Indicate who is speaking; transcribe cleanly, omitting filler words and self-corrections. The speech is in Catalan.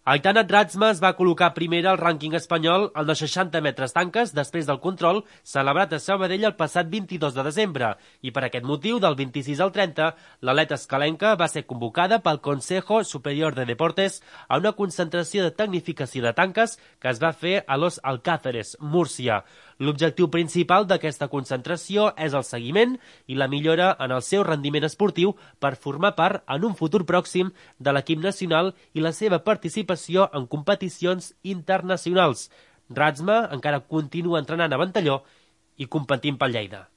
Speaker 1: Aitana Dratsma es va col·locar primera al rànquing espanyol en els 60 metres tanques després del control celebrat a Sabadell el passat 22 de desembre i per aquest motiu, del 26 al 30, l'atleta escalenca va ser convocada pel Consejo Superior de Deportes a una concentració de tecnificació de tanques que es va fer a Los Alcázares, Múrcia. L'objectiu principal d'aquesta concentració és el seguiment i la millora en el seu rendiment esportiu per formar part en un futur pròxim de l'equip nacional i la seva participació en competicions internacionals. Dratsma encara continua entrenant a Ventalló i competint pel Lleida.